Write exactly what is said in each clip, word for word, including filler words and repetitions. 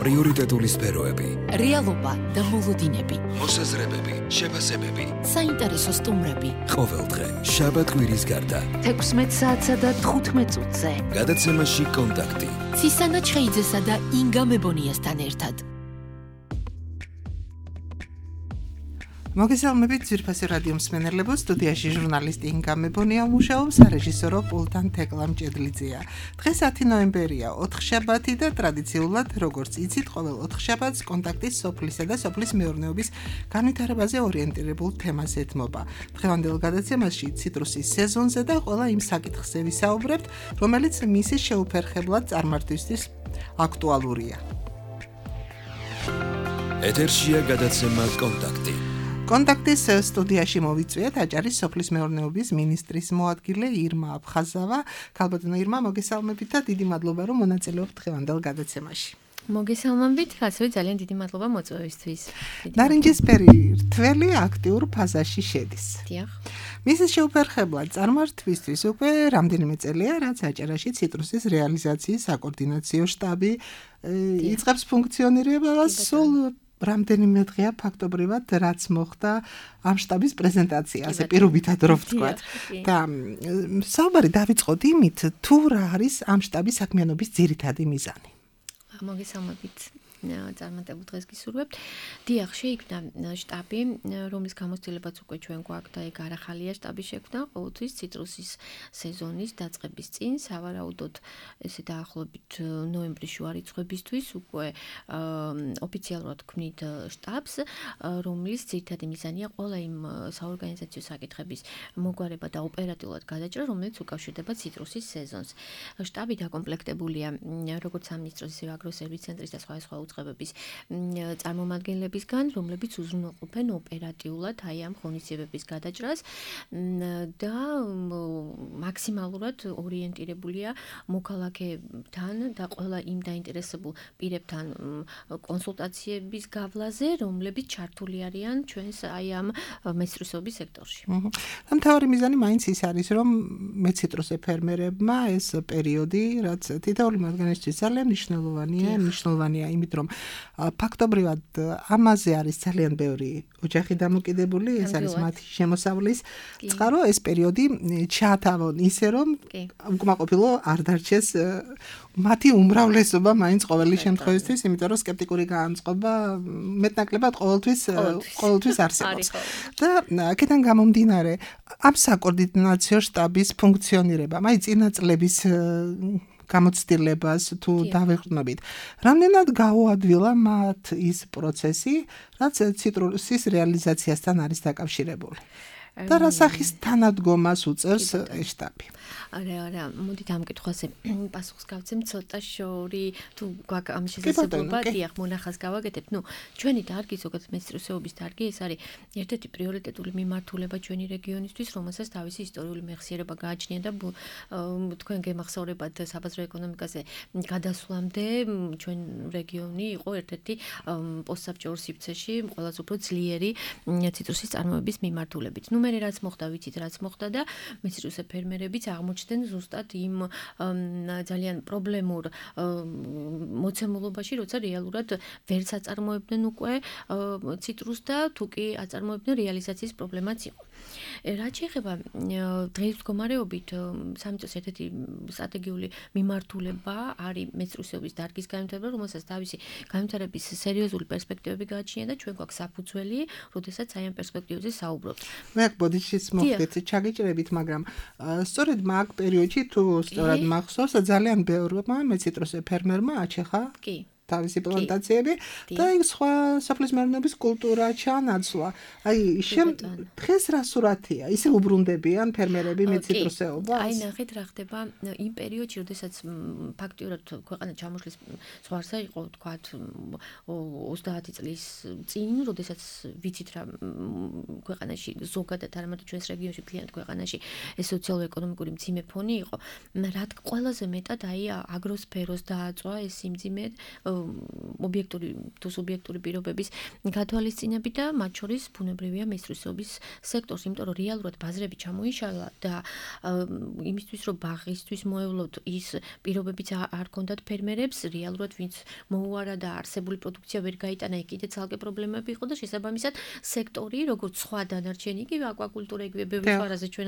პრიორიტეტული სფეროები, რეალობა და მოლოდინები, მოსაზრებები, შეფასებები, საინტერესო სტუმრები. ყოველდღე შაბათ-კვირის გარდა თექვსმეტ საათსა და თხუთმეტ წუთზე. გადაცემაში კონტაქტი. ცისანა ჩხეიძესა და ინგა მებონიასთან ერთად. მოგესალმებით ძვირფასი რადიო მსმენელებო, სტუდიაში ჟურნალისტი ინგა მებონია მუშაობს, რეჟისორო პულტან თეკლა მჭედლიძეა. დღეს ათი ნოემბერია, ოთხშაბათი და ტრადიციულად, როგორც იცით, ყოველ ოთხშაბათს კონტაქტის სოფლისა და სოფლის მეურნეობის განვითარებაზე ორიენტირებულ თემას ეთმობა. დღევანდელ გადაცემაში ციტრუსის სეზონზე და ყველა იმ საკითხზე ვისაუბრებთ, რომელიც მისი შეუფერხებლად წარმართვისთვის აქტუალურია. ეთერშია გადაცემა კონტაქტი. კონტაქტის სტუდიაში მოვიწვიეთ აჭარის სოფლის მეურნეობის მინისტრის მოადგილე ირმა აფხაზავა. ქალბატონო ირმა, მოგესალმებით და დიდი მადლობა, რომ მონაწილეობთ დღევანდელ გადაცემაში. მოგესალმებით, ასევე ძალიან დიდი მადლობა მოწვევისთვის. ნარინჯისფერი რთველი აქტიურ ფაზაში შედის. დიახ. მისის შეუფერხებლად წარმართვისთვის უკვე რამდენიმე წელია, რაც აჭარაში ციტრუსის რეალიზაციის საკოორდინაციო შტაბი იწყებს ფუნქციონირებას. სულ რამდენიმე დღეა ფაქტობრივად რაც მოხდა ამ შტაბის პრეზენტაცია, ასე პირობითად რო ვთქვათ. და საუბარი დავიწყოთ იმით, თუ რა არის ამ შტაბის საქმიანობის ძირითადი მიზანი. მოგესალმებით. წარმატებულ დღეს გისურვებთ. დიახ, შეიქმნა შტაბი, რომლის გამოცდილებაც უკვე ჩვენ გვაქვს და ეგ არახალია შტაბის შექმნა, ყოველთვის ციტრუსის სეზონის დაწყების წინ, სავარაუდოდ ესე დაახლოებით ნოემბრის შუა რიცხვებისთვის უკვე ოფიციალურად ქმნით შტაბს, რომლის ძირითადი მიზანია ყველა იმ საორგანიზაციო საკითხების მოგვარება და ოპერატიულად გადაჭრა, რომელიც უკავშირდება ციტრუსის სეზონს. შტაბი დაკომპლექტებულია როგორც სამინისტროს, ისე აგროსერვის ცენტრის და სხვა სხვა უწყებების წარმომადგენლებისგან, რომლებიც უზრუნველყოფენ ოპერატიულად აი ამ ღონისძიებების გადაჭრას და მაქსიმალურად ორიენტირებულია მოქალაქეებთან და ყველა იმ დაინტერესებულ პირებთან კონსულტაციების გავლაზე, რომლებიც ჩართული არიან ჩვენს აი ამ მეცხრისობის სექტორში. და მთავარი მიზანი მაინც ის არის, რომ მეციტრუსე ფერმერებმა ეს პერიოდი, რაც თითოეული მათგანისთვის ძალიან მნიშვნელოვანია, მნიშვნელოვანია იმით, რომ ფაქტობრივად ამაზე არის ძალიან ბევრი ოჯახი დამოკიდებული, ეს არის მათი შემოსავლის წყარო, ეს პერიოდი ჩაათავონ ისე, რომ უკმაყოფილო არ დარჩეს მათი უმრავლესობა მაინც ყოველი შემთხვევისთვის, იმიტომ რომ სკეპტიკური განწყობა მეტნაკლებად ყოველთვის ყოველთვის არსებობს. და აქედან გამომდინარე, ამ საკოორდინაციო შტაბის ფუნქციონირება, აი წინა წლების გამოცდილებას თუ დავეყრდნობით. რამდენად გაუადვილა მათ ის პროცესი, რაც ციტრუსის რეალიზაციასთან არის დაკავშირებული. და რა სახის თანადგომას უწევს ეს შტაბი? არა, არა, მოდით ამ კითხვაზე პასუხს გავცემ ცოტა შორი, თუ გვაქვს ამ შესაძლებლობა, დიახ, მონახას გავაკეთებთ. ნუ, ჩვენი დარგი, ზოგადად მეცხრისეობის დარგი, ეს არის ერთ-ერთი პრიორიტეტული მიმართულება ჩვენი რეგიონისთვის, რომელსაც თავისი ისტორიული მეხსიერება გააჩნია და თქვენ გემახსოვრებათ საბაზრო ეკონომიკაზე გადასვლამდე ჩვენ რეგიონი იყო ერთ-ერთი პოსტსაბჭოურ სივრცეში ყველაზე უფრო ძლიერი ციტრუსის წარმოების მიმართულებით. ნუ მე რაც მოხდა, ვიცით რაც მოხდა და მეცხრისე ფერმერებიც აღმოჩნდნენ ზუსტად იმ ძალიან პრობლემურ მოცემულობაში, როცა რეალურად ვერც აწარმოებდნენ უკვე ციტრუსს და თუ კი აწარმოებდნენ, რეალიზაციის პრობლემაც იყო. რაც შეეხება დღის მდგომარეობით, სამინისტროს ერთ-ერთი სტრატეგიული მიმართულება არის მეცხრისეობის დარგის განვითარება, რომელსაც თავისი განვითარების სერიოზული პერსპექტივები გააჩნია და ჩვენ გვაქვს საფუძველი, როდესაც აი ამ პერსპექტივებზე საუბრობთ. მე აქ ბოდიშის მოხდეთ, ჩაგიჭრებით, მაგრამ სწორედ მაგ პერიოდში თუ სწორად მახსოვს, ძალიან ბევრმა მეციტრუსე ფერმერმა აჩეხა თავისი პლანტაციები და იქ სხვა სოფლის მეურნეობის კულტურა ჩაანაცვლა. აი, დღეს რა სურათია? ისე უბრუნდებიან ფერმერები მეციტრუსეობას? აი, ნახეთ რა ხდება იმ პერიოდში, როდესაც ფაქტიურად ქვეყანა ჩამოშლის ზღვარზე იყო, თქვათ, ოცდაათი წლის წინ, როდესაც ვიცით რა ქვეყანაში ზოგადად არ ამათო ჩვენს რეგიონში, მთლიანად ქვეყანაში ეს სოციალურ-ეკონომიკური მძიმე ფონი იყო. რა ყველაზე მეტად აი აგროსფეროს დააწვა ეს სიმძიმე ობიექტური თუ სუბიექტური პირობების გათვალისწინებით და მათ შორის ბუნებრივია მესწრისობის სექტორს, იმიტომ რომ რეალურად ბაზრები ჩამოიშალა და იმისთვის რომ ბაღისთვის მოევლოთ ის პირობებიც არ ქონდათ ფერმერებს, რეალურად ვინც მოუარა და არსებული პროდუქცია ვერ გაიტანა, კიდე ცალკე პრობლემები იყო და შესაბამისად სექტორი, როგორც სხვა დანარჩენი, იგივე აკვაკულტურა, იგივე ბევრი სხვა რაზე ჩვენ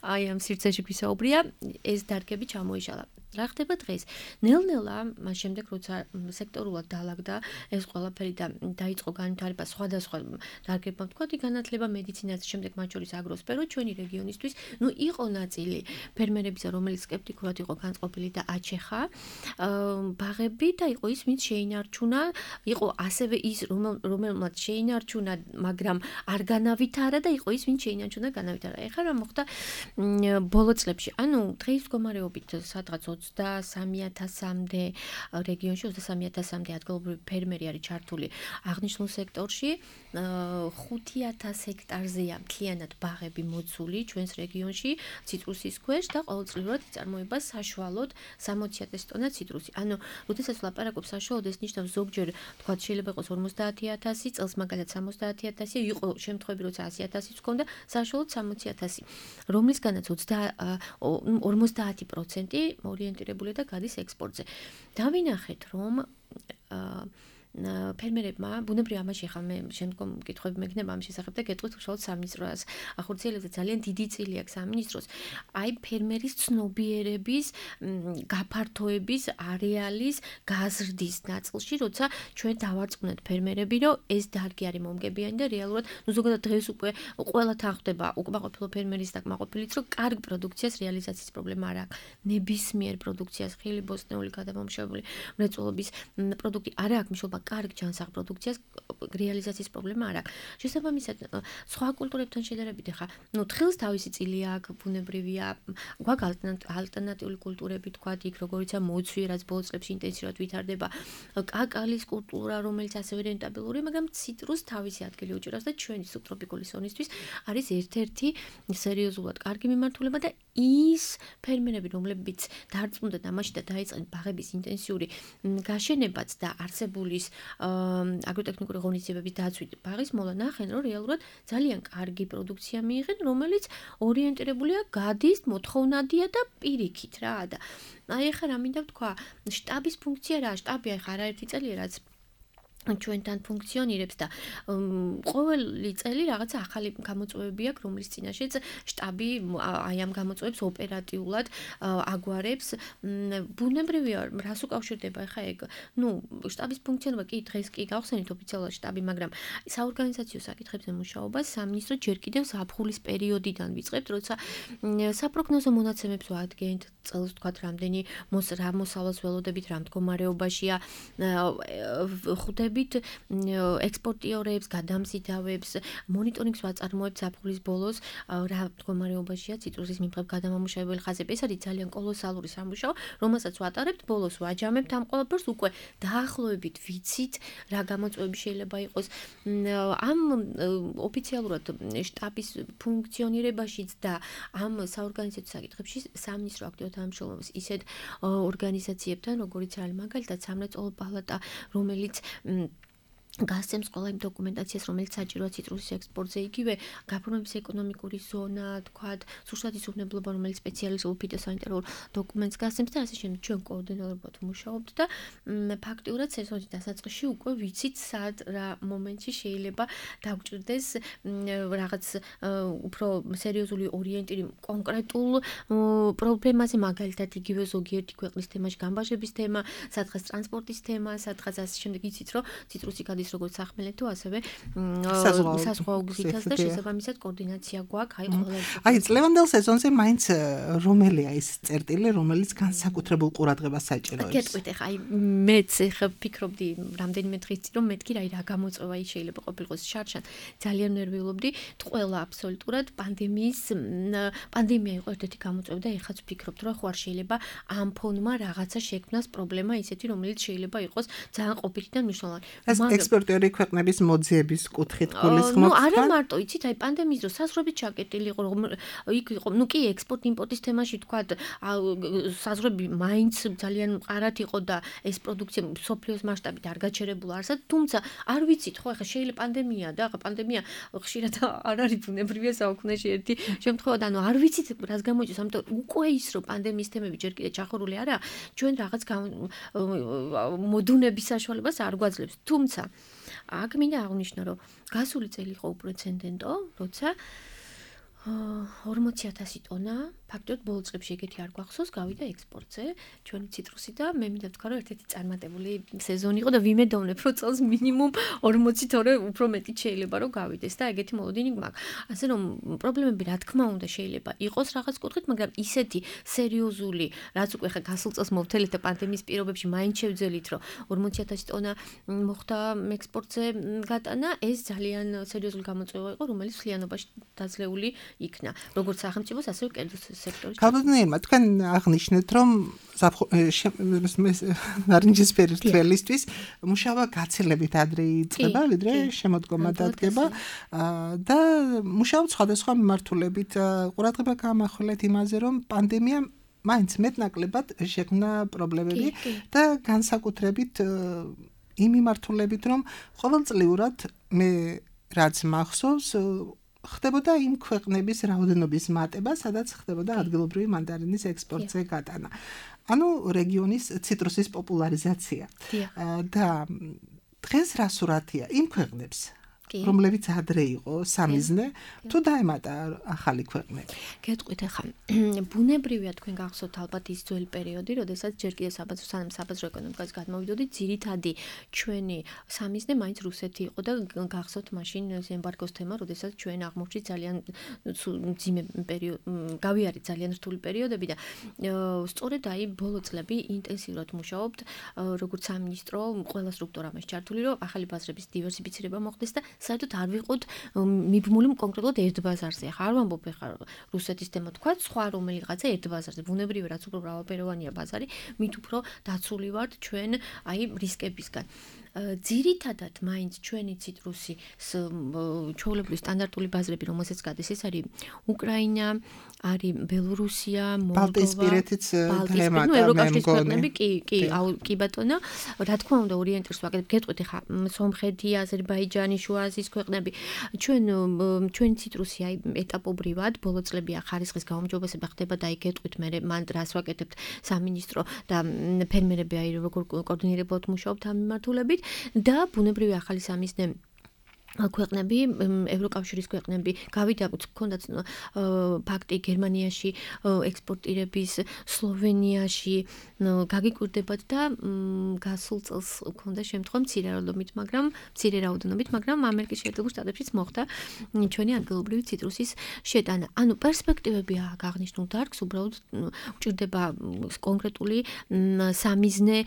აი ამ სივრცეში გვისაუბრია, ეს დარგები ჩამოიშალა. რა ხდება დღეს? ნელ-ნელა მას შემდეგ როცა სექტორულად დაალაგდა ეს ყველაფერი და დაიწყო განვითარება სხვადასხვა დარგებმა, ვთქვათ, განათლება, მედიცინაც, შემდეგ მათ შორის აგროსფერო, ჩვენი რეგიონისთვის, ნუ იყო ნაწილი ფერმერებისა, რომელიც სკეპტიკურად იყო განწყობილი და აჩეხა ბაღები და იყო ის, ვინც შეინარჩუნა, იყო ასევე ის, რომელმაც შეინარჩუნა, მაგრამ არ განავითარა და იყო ის, ვინც შეინარჩუნა, განავითარა. ეხლა რა მოხდა ბოლო წლებში? ანუ დღის მდგომარეობით სადღაც ოცდასამი ათასამდე რეგიონში ოცდასამი ათასამდე ადგილობრივი ფერმერი არის ჩართული აღნიშნულ სექტორში. ხუთი ათას ჰექტარზეა მთლიანად ბაღები მოცული ჩვენს რეგიონში ციტრუსის ქვეშ და ყოველწლიურად იწარმოება საშუალოდ სამოცი ათასი ტონა ციტრუსი. ანუ როდესაც ვლაპარაკობ საშუალოდ, ეს ნიშნავს ზოგჯერ თქვათ შეიძლება იყოს ორმოცდაათი ათასი, წელს მაგალითად სამოცდაათი ათასი, იყო შემთხვევები როცა ასი ათასიც ჰქონდა, საშუალოდ სამოცი ათასი, რომლისგანაც ორმოცდაათი პროცენტი ორიენტირებულია და გადის ექსპორტზე. დავინახეთ, რომ ფერმერებმა ბუნებრივია ამაში ხა მე შემდგომ კითხვები მექნება ამ შესახებ და გეტყვით უშუალოდ სამინისტროს ახორციელებდა ძალიან დიდი წილი აქვს სამინისტროს აი ფერმერის ცნობიერების გაფართოების არეალის გაზრდის ნაწილში როცა ჩვენ დავარწმუნეთ ფერმერები რომ ეს დარგი არის მომგებიანი და რეალურად ნუ ზოგადად დღეს უკვე ყველა თანხდება უკმაყოფილო ფერმერის და კმაყოფილიც რომ კარგ პროდუქციას რეალიზაციის პრობლემა არ აქვს ნებისმიერ პროდუქციას ხილი ბოსტნეული გადამამუშავებელი მრეწველობის პროდუქტი არ აქვს მიშობა კარგ ჯანსაღ პროდუქციას რეალიზაციის პრობლემა არ აქვს. შესაბამისად, სხვა კულტურებთან შედარებით ხა, ნუ თხილს თავისი წილი აქვს, ბუნებრივია, გვაქვს ალტერნატიული კულტურები, თქვა იქ როგორიცაა მოცვი, რაც ბოლო წლებში ინტენსიურად ვითარდება, კაკალის კულტურა, რომელიც ასევე რენტაბელური, მაგრამ ციტრუს თავისი ადგილი უჭირავს და ჩვენი სუბტროპიკული ზონისთვის არის ერთ-ერთი სერიოზულად კარგი მიმართულება და ის ფერმერები, რომლებიც დარწმუნდათ ამაში და დაიწყნენ ბაღების ინტენსიური გაშენებაც და არსებულის აგროტექნიკური ღონისძიებების დაცვით ბაღის მოლა ნახენ, რომ რეალურად ძალიან კარგი პროდუქცია მიიღენ, რომელიც ორიენტირებულია გადის, მოთხოვნადია და პირიქით რა და აი ახლა რა მინდა ვთქვა, შტაბის ფუნქცია რა, შტაბი ახლა არაერთი წელია რაც ჩვენთან ფუნქციონირებს და ყოველი წელი რაღაცა ახალი გამოწვევები აქვს, რომლის წინაშეც შტაბი აი ამ გამოწვევებს ოპერატიულად აგვარებს. ბუნებრივია, რას უკავშირდება ახლა ეგ? ნუ შტაბის ფუნქციონირება კი დღეს კი გავხსენით ოფიციალურად შტაბი, მაგრამ საორგანიზაციო საკითხებზე მუშაობას სამინისტრო ჯერ კიდევ ზაფხულის პერიოდიდან ვიწყებთ, როცა საპროგნოზო მონაცემებს ვადგენთ, წელს ვთქვათ, რამდენი რა მოსავალს ველოდებით, რა მდგომარეობაშია ხვდებით ექსპორტიორებს, გადამზიდავებს, მონიტორინგს ვაწარმოებთ ზაფხულის ბოლოს, რა მდგომარეობაშია ციტრუსის მიმღებ გადამამუშავებელი ხაზები. ეს არის ძალიან კოლოსალური სამუშაო, რომელსაც ვატარებთ, ბოლოს ვაჯამებთ ამ ყველაფერს, უკვე დაახლოებით ვიცით, რა გამოწვევები შეიძლება იყოს. ამ ოფიციალურად შტაბის ფუნქციონირებაშიც და ამ საორგანიზაციო საკითხებში სამინისტრო აქტიურად თანამშრომლობს ისეთ ორგანიზაციებთან, როგორიც არის მაგალითად სამრეწველო პალატა, რომელიც გასცემს ყველა იმ დოკუმენტაციას, რომელიც საჭიროა ციტრუსის ექსპორტზე, იგივე გაფორმების ეკონომიკური ზონა, თქვათ, სურსათის უვნებლობა, რომელიც სპეციალიზებულ ფიტოსანიტარულ დოკუმენტს გასცემს და ასე შემდეგ. ჩვენ კოორდინატორად ვმუშაობთ და ფაქტიურად სეზონის დასაწყისში უკვე ვიცით, სად რა მომენტში შეიძლება დაგვჭირდეს რაღაც უფრო სერიოზული ორიენტირი კონკრეტულ პრობლემაზე, მაგალითად იგივე ზოგიერთი ქვეყნის თემაში გამბაჟების თემა, სადღაც ტრანსპორტის თემა, სადღაც ასე შემდეგ. იცით, რომ ციტრუსი გადის როგორც სახმელეთო, ასევე საზღვაო გზითაც და შესაბამისად კოორდინაცია გვაქვს, აი ყველა. აი, წლევანდელ სეზონზე მაინც რომელია ის წერტილი, რომელიც განსაკუთრებულ ყურადღებას საჭიროებს? გეტყვით, ახლა აი მეც ახლა ფიქრობდი რამდენიმე დღის წინ, რომ მეთქი რა რა გამოწვევა ის შეიძლება ყოფილიყოს შარშან. ძალიან ნერვიულობდი, ყველა აბსოლუტურად პანდემიის პანდემია იყო ერთ-ერთი გამოწვევა და ეხლაც ვფიქრობთ, რომ ხო არ შეიძლება ამ ფონმა რაღაცა შექმნას პრობლემა ისეთი, რომელიც შეიძლება იყოს ძალიან ყოფილით და მნიშვნელოვანი. ეს ექსპორტიორი ქვეყნების მოძიების კუთხით გულისხმობთ? ნუ არა მარტო, იცით, აი პანდემიის დროს საზღვრებით ჩაკეტილი იყო, იქ იყო, ნუ კი ექსპორტ-იმპორტის თემაში თქვათ, საზღვრები მაინც ძალიან მყარად იყო და ეს პროდუქცია მსოფლიოს მასშტაბით არ გაჩერებულა არსად, თუმცა არ ვიცით, ხო, ახლა შეიძლება პანდემია და ახლა პანდემია ხშირად არ არის ბუნებრივია საუკუნეში ერთი შემთხვევა და ანუ არ ვიცით რას გამოიწვევს, ამიტომ უკვე ის რომ პანდემიის თემები ჯერ კიდე ჩახურული არა, ჩვენ რაღაც მოდუნების საშუალებას არ გვაძლევს. თუმცა აქ მინდა აღვნიშნო, რომ გასული წელი იყო უპრეცედენტო, როცა ორმოცი ათასი ტონა ფაქტობრივად ბოლო წლებში ეგეთი არ გვახსოვს, გავიდა ექსპორტზე ჩვენი ციტრუსი და მე მინდა ვთქვა, რომ ერთ-ერთი წარმატებული სეზონი იყო და ვიმედოვნებ, რომ წელს მინიმუმ ორმოცი თორე უფრო მეტი შეიძლება რომ გავიდეს და ეგეთი მოლოდინი გვაქვს. ასე რომ პრობლემები რა თქმა უნდა შეიძლება იყოს რაღაც კუთხით, მაგრამ ისეთი სერიოზული, რაც უკვე ხა გასულ წელს მოვთელეთ და პანდემიის პირობებში მაინც შევძელით, რომ ორმოცი ათასი ტონა მოხდა ექსპორტზე გატანა, ეს ძალიან სერიოზული გამოწვევა იყო, რომელიც მთლიანობაში დაძლეული იქნა, როგორც სახელმწიფოს, ასევე კერძო სექტორის. თავდადიანმა თქვენ აღნიშნეთ, რომ ნარინჯისფერი თველისთვის მუშაობა გაცილებით ადრე იწყება, ვიდრე შემოდგომა დადგება და მუშაობთ სხვადასხვა მიმართულებით. ყურადღება გაამახვილეთ იმაზე, რომ პანდემია მაინც მეტნაკლებად შექმნა პრობლემები და განსაკუთრებით იმ მიმართულებით, რომ ყოველწლიურად მე რაც მახსოვს ხდებოდა იმ ქვეყნების რაოდენობის მატება, სადაც ხდებოდა ადგილობრივი მანდარინის ექსპორტზე გატანა. ანუ რეგიონის ციტრუსის პოპულარიზაცია. და დღეს რა სურათია იმ ქვეყნებს, რომლებიც ადრე იყო სამიზნე, თუ დაემატა ახალი ქვეყნები. გეტყვით ახლა, ბუნებრივია თქვენ გახსოვთ ალბათ ის ძველი პერიოდი, როდესაც ჯერ კიდევ საბაზრო სანამ საბაზრო ეკონომიკას გადმოვიდოდით, ძირითადი ჩვენი სამიზნე მაინც რუსეთი იყო და გახსოვთ მაშინ ემბარგოს თემა, როდესაც ჩვენ აღმოჩნდით ძალიან მძიმე პერიოდი, გავიარეთ ძალიან რთული პერიოდები და სწორედ აი ბოლო წლები ინტენსიურად მუშაობთ, როგორც სამინისტრო, ყველა სტრუქტურა მას ჩართული, რომ ახალი ბაზრების დივერსიფიცირება მოხდეს და საერთოდ არ ვიყოთ მიბმული კონკრეტულად ერთ ბაზარზე. ახლა არ ვამბობ ახლა რუსეთის თემა თქვა, სხვა რომელიღაცა ერთ ბაზარზე. ბუნებრივია, რაც უფრო მრავალფეროვანია ბაზარი, მით უფრო დაცული ვართ ჩვენ აი რისკებისგან. ძირითადად მაინც ჩვენი ციტრუსი ჩვეულებრივი სტანდარტული ბაზრები, რომელსაც გადის, ეს არის უკრაინა, არის ბელორუსია, მოლდოვა, ბალტიისპირეთიც დაემატა, ნუ ევროკავშირის ქვეყნები, კი, კი, კი ბატონო, რა თქმა უნდა ორიენტირს ვაკეთებ, გეტყვით ახლა სომხეთი, აზერბაიჯანი, შუა აზიის ქვეყნები, ჩვენ ჩვენი ციტრუსი აი ეტაპობრივად ბოლო წლებია ხარისხის გაუმჯობესება ხდება და აი გეტყვით მე მან რას ვაკეთებთ სამინისტრო და ფერმერები აი როგორ კოორდინირებულად მუშაობთ ამ მიმართულებით. და ბუნებრივი ახალი სამიზნე ქვეყნები, ევროკავშირის ქვეყნები, გავიდა გქონდათ ფაქტი გერმანიაში ექსპორტირების, სლოვენიაში გაგიკვირდებათ და გასულ წელს გქონდა შემთხვევა მცირე რაოდენობით, მაგრამ მცირე რაოდენობით, მაგრამ ამერიკის შეერთებულ შტატებშიც მოხდა ჩვენი ადგილობრივი ციტრუსის შეტანა. ანუ პერსპექტივები აღნიშნულ დარგს, უბრალოდ უჭირდება კონკრეტული სამიზნე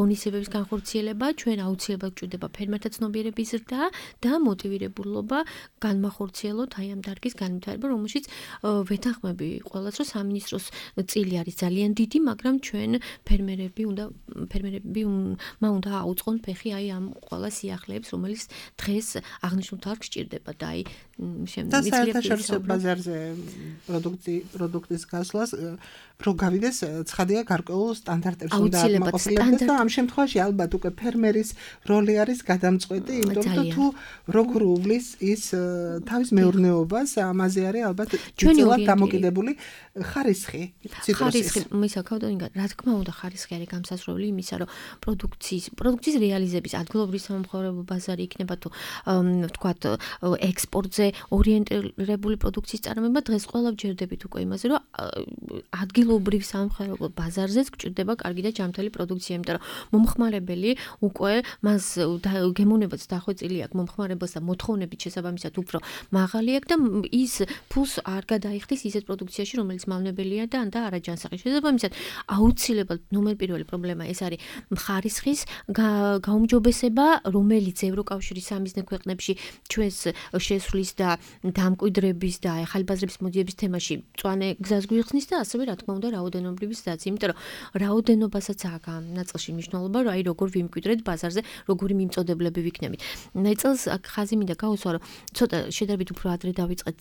ღონისძიებების განხორციელება, ჩვენ აუცილებლად უჭირდება ფერმერთა ცნობიერების ზრდა და მოტივირებულობა განმახორციელოთ აი ამ დარგის განვითარება, რომელშიც ვეთანხმები ყველას, რომ სამინისტროს წილი არის ძალიან დიდი, მაგრამ ჩვენ ფერმერები უნდა ფერმერები უნდა აუწყონ ფეხი აი ამ ყველა სიახლეებს, რომელიც დღეს აღნიშნულ დარგს სჭირდება და აი და საერთაშორისო ბაზარზე პროდუქტი პროდუქტის გასვლას რო გავიდეს, ცხადია გარკვეულ სტანდარტებს უნდა აკმაყოფილებდეს და ამ შემთხვევაში ალბათ უკვე ფერმერის როლი არის გადამწყვეტი, იმიტომ რომ თუ როგორ უვლის ის თავის მეურნეობას, ამაზე არის ალბათ ძირითადად დამოკიდებული ხარისხი ციტრუსის. ხარისხი, მისაკავდონიგა, რა თქმა უნდა ხარისხი არის გამსასროლი იმისა, რომ პროდუქციის პროდუქციის რეალიზების ადგილობრივი სამომხმარებლო ბაზარი იქნება თუ ვთქვათ ექსპორტზე ორიენტირებული პროდუქციის წარმოება, დღეს ყველა ვჯერდებით უკვე იმაზე, რომ ადგილობრივ სამომხმარებლო ბაზარზეც გჭირდება კარგი და ჯანმრთელი პროდუქცია, იმიტომ რომ მომხმარებელი უკვე მას გემოვნებაც დახვეწილი აქვს მომხმარებელს და მოთხოვნებით შესაბამისად უფრო მაღალი აქვს და ის ფულს არ გადაიხდის ისეთ პროდუქციაში, რომელიც მავნებელია და და არაჯანსაღი. შესაბამისად, აუცილებლად ნომერ პირველი პრობლემა ეს არის ხარისხის გაუმჯობესება, რომელიც ევროკავშირის სამიზნე ქვეყნებში ჩვენს შესვლის და დამკვიდრების და ახალბაზრების მოდიების თემაში მწვანე გზას გვიხსნის და ასევე რა თქმა უნდა რაოდენობრივისაც, იმიტომ რომ რაოდენობასაც აქვს ამ ნაწილში მნიშვნელობა, რომ აი როგორ ვიმკვიდრეთ ბაზარზე, როგორი მიმწოდებლები ვიქნებით. წელს აქ ხაზი მინდა გაუსვა, რომ ცოტა შედარებით უფრო ადრე დავიწყეთ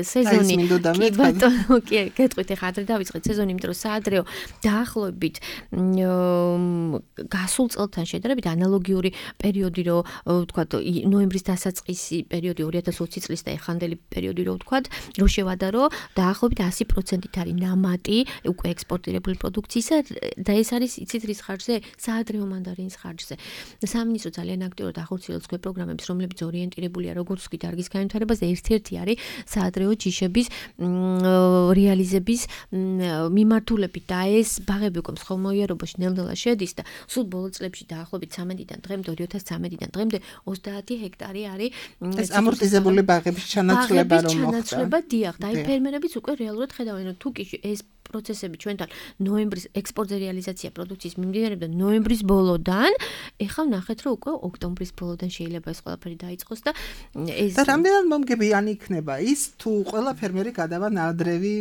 სეზონი. კი ბატონო, კი, გეტყვით ახლა ადრე დავიწყეთ სეზონი, იმიტომ რომ საადრეო დაახლოებით გასულ წელთან შედარებით ანალოგიური პერიოდი, რო ვთქვათ, ნოემბრის დასაწყისი პერიოდი ორი ათას ოცი წლის და ეხანდელი პერიოდი, რო ვთქვათ, რო შევადარო, დაახლოებით ასი პროცენტით არის ნამატი უკვე ექსპორტირებული პროდუქციისა და ეს არის იცით რის ხარჯზე? საადრეო მანდარინის ხარჯზე. სამინისტრო ძალიან აქტიურად ახორციელებს ქვე პროგრამებს, რომლებიც ორიენტირებულია როგორც კი დარგის განვითარებაზე, ერთ-ერთი არის საადრეო ჯიშების რეალიზების მიმართულებით და ეს ბაღები უკვე მსხმოიარობაში ნელ-ნელა შედის და სულ ბოლო წლებში დაახლოებით ცამეტიდან დღემდე ორი ათას ცამეტიდან დღემდე ოცდაათი ჰექტარი არის ეს ამორტიზებული ბაღების ჩანაცვლება რომ მოხდა. ჩანაცვლება დიახ, და აი ფერმერებიც უკვე რეალურად ხედავენ, რომ თუ კი ეს პროცესები ჩვენთან ნოემბრის ექსპორტზე რეალიზაცია პროდუქციის მიმდინარეობდა ნოემბრის ბოლოდან, ეხლა ვნახეთ, რომ უკვე ოქტომბრის ბოლოდან შეიძლება ეს ყველაფერი დაიწყოს და ეს და რამდენად მომგებიანი იქნება ის თუ ყველა ფერმერი გადავა ნადრევი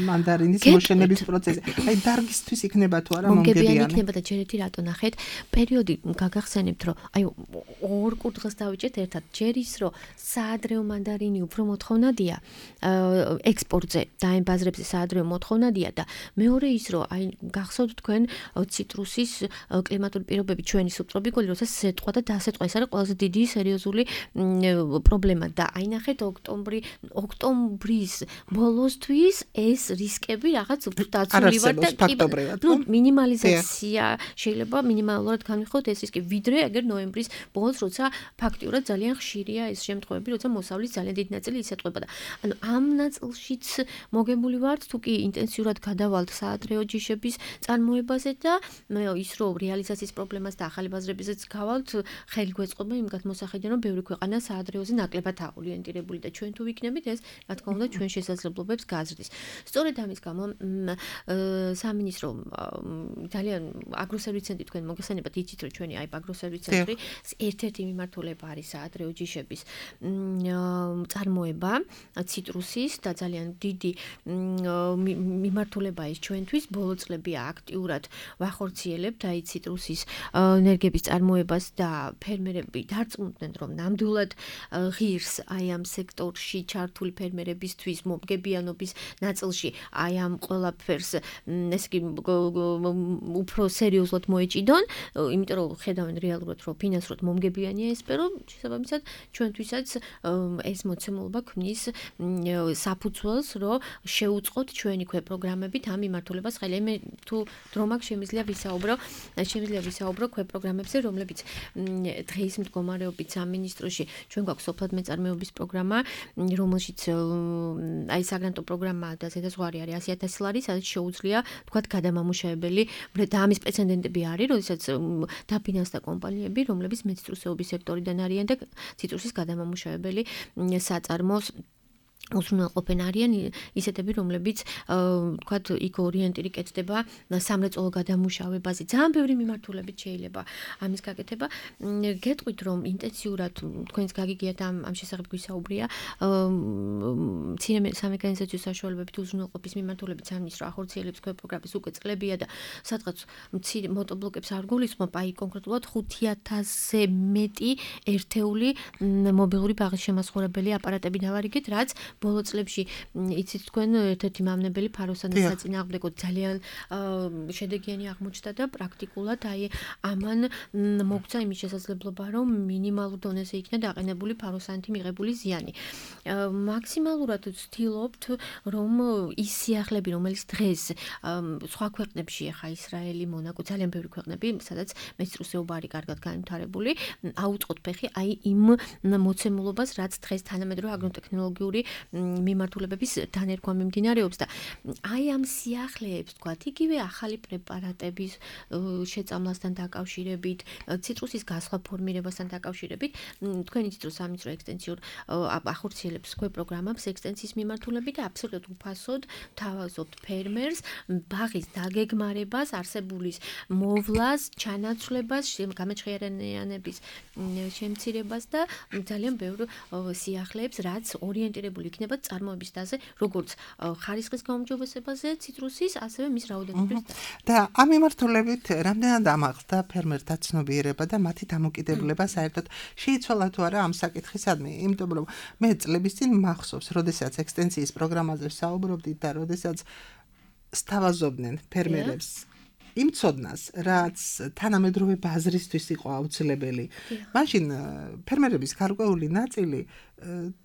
მანდარინის მოშენების პროცესზე. აი დარგისთვის იქნება თუ არა მომგებიანი. მომგებიანი იქნება და ჯერ ერთი რატო ნახეთ, პერიოდი გაგახსენებთ, რომ აი ორ კურდღელს დავიჭერთ ერთად. ჯერ ის, რომ საადრეო მანდარინი უფრო მოთხოვნადია ექსპორტზე და ამ ბაზრებზე საადრეო მოთხოვნადია და მეორე ის, რომ აი გახსოვთ თქვენ ციტრუსის კლიმატური პირობები ჩვენი სუბტროპიკული, როცა სეტყვა და დასეტყვა, ეს არის ყველაზე დიდი სერიოზული პრობლემა და აი ნახეთ ოქტომბრი ოქტომბრის ბოლოსთვის ეს რისკები რაღაც უფრო დაცული ვარ და ნუ მინიმალიზაცია შეიძლება მინიმალურად განვიხილოთ ეს რისკი, ვიდრე აგერ ნოემბრის ბოლოს, როცა ფაქტიურად ძალიან ხშირია ეს შემთხვევები, როცა მოსავლის ძალიან დიდი ნაწილი ისეტყვება და ანუ ამ ნაწილშიც მოგებული ვართ, თუ კი ინტენსიურად გადავალთ საადრეო ჯიშების წარმოებაზე და ის რომ რეალიზაციის პრობლემას და ახალი ბაზრებიზეც გავალთ, ხელი გვეწყობა იმ გათმოსახედიდან, რომ ბევრი ქვეყანა საადრეოზე ნაკლებად აღორიენტირებული და ჩვენ თუ ვიქნებით, ეს რა თქმა უნდა ჩვენ შესაძლებლობებს გაზრდის. სწორედ ამის გამო სამინისტრო ძალიან აგროსერვის ცენტრი თქვენ მოგესალმებათ, იცით რომ ჩვენი აი აგროსერვის ცენტრი ერთ-ერთი მიმართულება არის საადრეო ჯიშების წარმოება ციტრუსის და ძალიან დიდი მიმართულება ის ჩვენთვის ბოლო წლები აქტიურად ვახორციელებთ აი ციტრუსის ენერგიების წარმოებას და ფერმერები დარწმუნდნენ რომ ნამდვილად ღირს აი ამ სექტორში ჩართული ფერმერებისთვის მომგებიანობის ნაწილში აი ამ ყველაფერს ეს კი უფრო სერიოზულად მოეჭიდონ, იმიტომ რომ ხედავენ რეალურად რომ ფინანსურად მომგებიანია ეს სფერო, შესაბამისად ჩვენთვისაც ეს მოცემულობა ქმნის საფუძველს, რომ შეუწყოთ ჩვენი ქვე პროგრამებით ამ მიმართულებას ხელი. მე თუ დრო მაქვს შემიძლია ვისაუბრო, შემიძლია ვისაუბრო ქვე პროგრამებზე, რომლებიც დღეის მდგომარეობით სამინისტროში ჩვენ გვაქვს სოფლად მეწარმეობის პროგრამა, რომელშიც აი საგრანტო პროგრამა და ზედაზღვარი არის ასი ათასი ლარი, სადაც შეუძლია თქვათ გადამამუშავებელი და ამის პრეცედენტები არის, როდესაც დაფინანსდა კომპანიები, რომლებიც მეციტრუსეობის სექტორიდან არიან და ციტრუსის გადამამუშავებელი საწარმოს უზრუნველყოფენ არიან ისეთები, რომლებიც თქვათ იქ ორიენტირი კეთდება სამრეწველო გადამუშავებაზე. ძალიან ბევრი მიმართულებით შეიძლება ამის გაკეთება. გეტყვით რომ ინტენსიურად თქვენს გაგიგიათ ამ ამ შესახებ გვისაუბრია მცირე სამექანიზაციო საშუალებებით უზრუნველყოფის მიმართულებით სამინისტრო ახორციელებს ქვე პროგრამის უკვე წლებია და სადღაც მცირე მოტობლოკებს არ გულისხმობ, აი კონკრეტულად ხუთი ათასზე მეტი ერთეული მობილური ბაღის შემაცხოვრებელი აპარატები დავარიგეთ, რაც ბოლო წლებში იცით თქვენ ერთ-ერთი მამნებელი ფაროსანის საწინააღმდეგო ძალიან შედეგიანი აღმოჩნდა და პრაქტიკულად აი ამან მოგცა იმის შესაძლებლობა, რომ მინიმალურ დონეზე იქნა დაყენებული ფაროსანთი მიღებული ზიანი. მაქსიმალურად ვცდილობთ, რომ ის სიახლეები, რომელიც დღეს სხვა ქვეყნებში, ახლა ისრაელი, მონაკო, ძალიან ბევრი ქვეყნები, სადაც მეციტრუსეობა არის კარგად განვითარებული, აუწყოთ ფეხი აი იმ მოცემულობას, რაც დღეს თანამედროვე აგროტექნოლოგიური მიმართულებების დანერგვა მიმდინარეობს და აი ამ სიახლეებს თქვა, იგივე ახალი პრეპარატების შეწამლასთან დაკავშირებით, ციტრუსის გასხვა ფორმირებასთან დაკავშირებით, თქვენი ციტრუს სამიწრო ექსტენსიურ ახორციელებს თქვენ პროგრამებს ექსტენსიის მიმართულებით და აბსოლუტურად უფასოდ თავაზობთ ფერმერს ბაღის დაგეგმარებას, არსებულის მოვლას, ჩანაცვლებას, გამაჩხერიანების შემცირებას და ძალიან ბევრ სიახლეებს, რაც ორიენტირებული იქნება წარმოების დაზე, როგორც ხარისხის გაუმჯობესებაზე ციტრუსის, ასევე მის რაოდენობის და ამ მიმართულებით რამდენად ამაღლდა ფერმერთა ცნობიერება და მათი დამოკიდებულება საერთოდ შეიცვალა თუ არა ამ საკითხისადმი, იმიტომ რომ მე წლების წინ მახსოვს, როდესაც ექსტენსიის პროგრამაზე საუბრობდით და როდესაც სთავაზობდნენ ფერმერებს იმ ცოდნას, რაც თანამედროვე ბაზრისთვის იყო აუცილებელი. მაშინ ფერმერების გარკვეული ნაწილი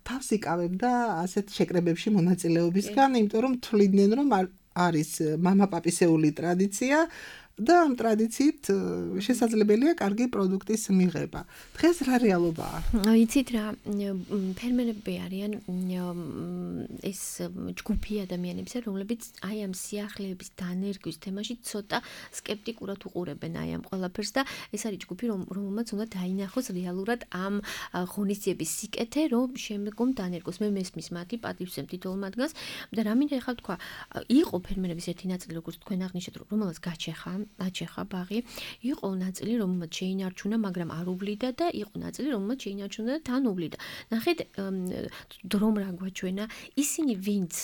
თავს იკავებდა ასეთ შეკრებებში მონაწილეობისგან, იმიტომ რომ თვლიდნენ, რომ არის მამაპაპისეული ტრადიცია და ამ ტრადიციით შესაძლებელია კარგი პროდუქტის მიღება. დღეს რა რეალობაა? იცით რა, ფერმერები არიან ეს ჯგუფი ადამიანებისა, რომლებიც აი ამ სიახლეების დანერგვის თემაში ცოტა სკეპტიკურად უყურებენ აი ამ ყველაფერს და ეს არის ჯგუფი, რომელმაც უნდა დაინახოს რეალურად ამ ღონისძიების სიკეთე, რომ შემდგომ დანერგოს. მე მესმის მათი პატივცემ თითოეულ მათგანს და რა მინდა ეხლა თქვა, იყო ფერმერების ერთი ნაწილი, როგორც თქვენ აღნიშნეთ, რომელსაც გაჩეხა აჩეხა ბაღი, იყო ნაწილი, რომელმაც შეინარჩუნა, მაგრამ არ უვლიდა და იყო ნაწილი, რომელმაც შეინარჩუნა და თან უვლიდა. ნახეთ, დრომ რა გვაჩვენა, ისინი ვინც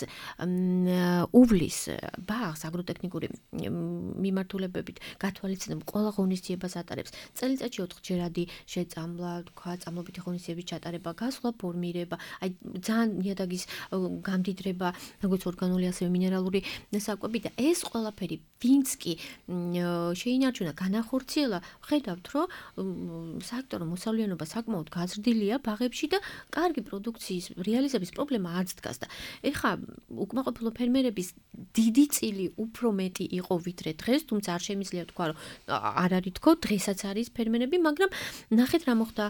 უვლის ბაღს აგროტექნიკური მიმართულებებით გათვალისწინებ, ყველა ღონისძიებას ატარებს. წელიწადში ოთხჯერადი შეწამლა, თქვა, წამლობითი ღონისძიების ჩატარება, გასვლა, ფორმირება, აი ძალიან ნიადაგის გამდიდრება, როგორც ორგანული, ასევე მინერალური საკვები და ეს ყველაფერი ვინც კი შეინარჩუნა, განახორციელა, ხედავთ, რომ სექტორო მოსავლიანობა საკმაოდ გაზრდილია ბაღებში და კარგი პროდუქციის რეალიზების პრობლემა არც დგას და ეხლა უკმაყოფილო ფერმერების დიდი წილი უფრო მეტი იყო ვიდრე დღეს, თუმცა არ შემიძლია თქვა, რომ არ არის თქო, დღესაც არის ფერმერები, მაგრამ ნახეთ რა მოხდა,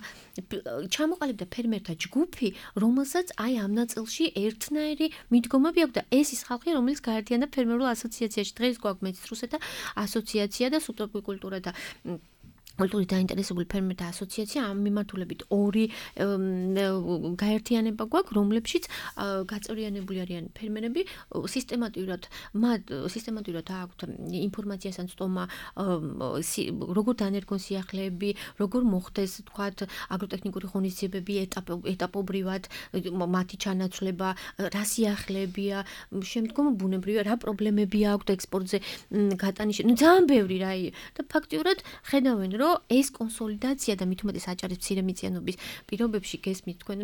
ჩამოყალიბდა ფერმერთა ჯგუფი, რომელსაც აი ამ ნაწილში ერთნაირი მიდგომები აქვს და ეს ის ხალხი, რომელიც გაერთიანდა ფერმერულ ასოციაციაში. დღეს გვაქვს მეც რუსეთა ასოციაცია და სუბტროპიკული კულტურა და კულტურით დაინტერესებული ფერმერთა ასოციაცია ამ მიმართულებით ორი გაერთიანება გვაქვს, რომლებშიც გაწევრიანებული არიან ფერმერები, სისტემატურად მათ სისტემატურად აქვთ ინფორმაციასთან სტომა, როგორ დანერგონ სიახლეები, როგორ მოხდეს, თქვათ, აგროტექნიკური ღონისძიებები ეტაპობრივად, მათი ჩანაცვლება, რა სიახლეებია, შემდგომ ბუნებრივია, რა პრობლემები აქვთ ექსპორტზე გატანის. ნუ ძალიან ბევრი რა და ფაქტიურად ხედავენ რომ ეს კონსოლიდაცია და მით უმეტეს აჭარის მცირემიწიანობის პირობებში გესმით თქვენ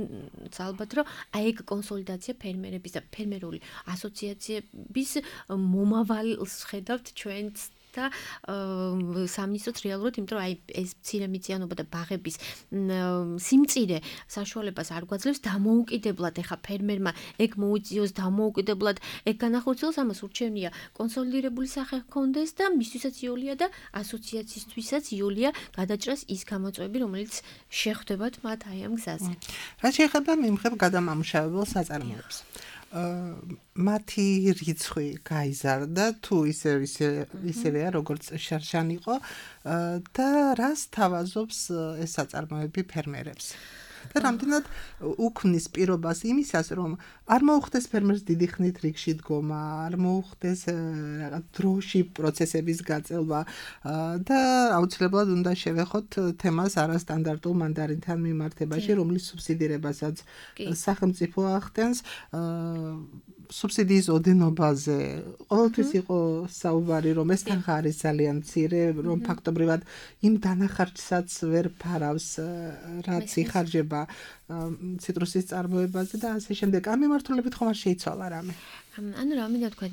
ალბათ რომ აი ეგ კონსოლიდაცია ფერმერების და ფერმერული ასოციაციების მომავალს ხედავთ ჩვენც და სამინისტროც რეალურად, იმიტომ რომ აი ეს მცირემიწიანობა და ბაღების სიმწირე საშუალებას არ გვაძლევს დამოუკიდებლად ეხა ფერმერმა ეგ მოუწიოს დამოუკიდებლად ეგ განახორციელოს, ამას ურჩევნია კონსოლიდირებული სახე ჰქონდეს და მისთვისაც იოლია და ასოციაციისთვისაც იოლია გადაჭრას ის გამოწვევები, რომელიც შეხვდებათ მათ აი ამ გზაზე. რა შეეხება მიმღებ გადამამუშავებელ საწარმოებს? მათი რიცხვი გაიზარდა თუ ისე ისევეა როგორც შარშან იყო და რას თავაზობს ეს საწარმოები ფერმერებს? და რამდენად უქმნის პირობას იმისას, რომ არ მოუხდეს ფერმერს დიდი ხნით რიგში დგომა, არ მოუხდეს რაღაც დროში პროცესების გაწელვა და აუცილებლად უნდა შევეხოთ თემას არასტანდარტულ მანდარინთან მიმართებაში, რომლის სუბსიდირებასაც სახელმწიფო ახდენს. სუბსიდიის ოდენობაზე ყოველთვის იყო საუბარი, რომ ეს თანხა არის ძალიან მცირე, რომ ფაქტობრივად იმ დანახარჯსაც ვერ ფარავს, რაც იხარჯება ციტრუსის წარმოებაზე და ასე შემდეგ. ამ მიმართულებით ხომ არ შეიცვალა რამე? ანუ რა მინდა თქვა,